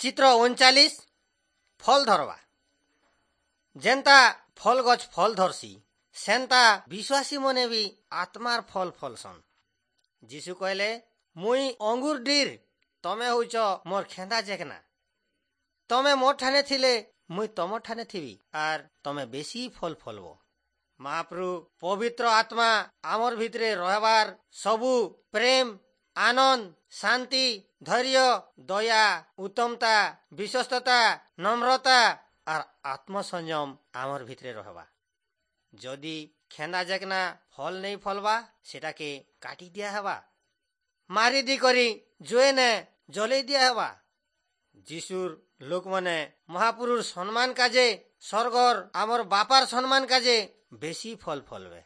ଚିତ୍ର 39, ଫଲ୍ ଧରବା। ଯେନ୍ତା ଫଲ୍ ଗଛ ଫଲ୍ ଧରସି, ସେନ୍ତା ବିଶ୍ୱାସୀ ମନେ ବି ଆତ୍ମାର ଫଲ୍ ଫଲସନ୍। ଯୀଶୁ କହିଲେ, ମୁଇଁ ଅଙ୍ଗୁର ଡିର୍, ତମେ ହଉଛ ମୋର ଖେନ୍ଦା ଚେକନା। ତମେ ମୋର ଠାନେ ଥିଲେ ମୁଇଁ ତମ ଠାନେ ଥିବି, ଆର୍ ତମେ ବେଶୀ ଫଲ୍ ଫଲବ। ମହାପ୍ରଭୁ ପବିତ୍ର ଆତ୍ମା ଆମର ଭିତରେ ରହିବାର ସବୁ ପ୍ରେମ, ଆନନ୍ଦ, ଶାନ୍ତି, ଧୈର୍ଯ୍ୟ, ଦୟା, ଉତ୍ତମତା, ବିଶ୍ୱସ୍ତତା, ନମ୍ରତା ଆର୍ ଆତ୍ମସଂଯମ ଆମର ଭିତରେ ରହବା। ଯଦି ଖେନ୍ଦା ଜେକନା ଫଲ ନେଇ ଫଲବା, ସେଟାକେ କାଟି ଦିଆ ହେବା, ମାରି ଦି କରି ଜୁଏନେ ଜଲେଇ ଦିଆ ହେବା। ଯିଶୁର ଲୋକମାନେ ମହାପୁରୁଷ ସମ୍ମାନ କାଜେ, ସ୍ୱର୍ଗର ଆମର ବାପାର ସମ୍ମାନ କାଜେ ବେଶୀ ଫଲ ଫଲବେ।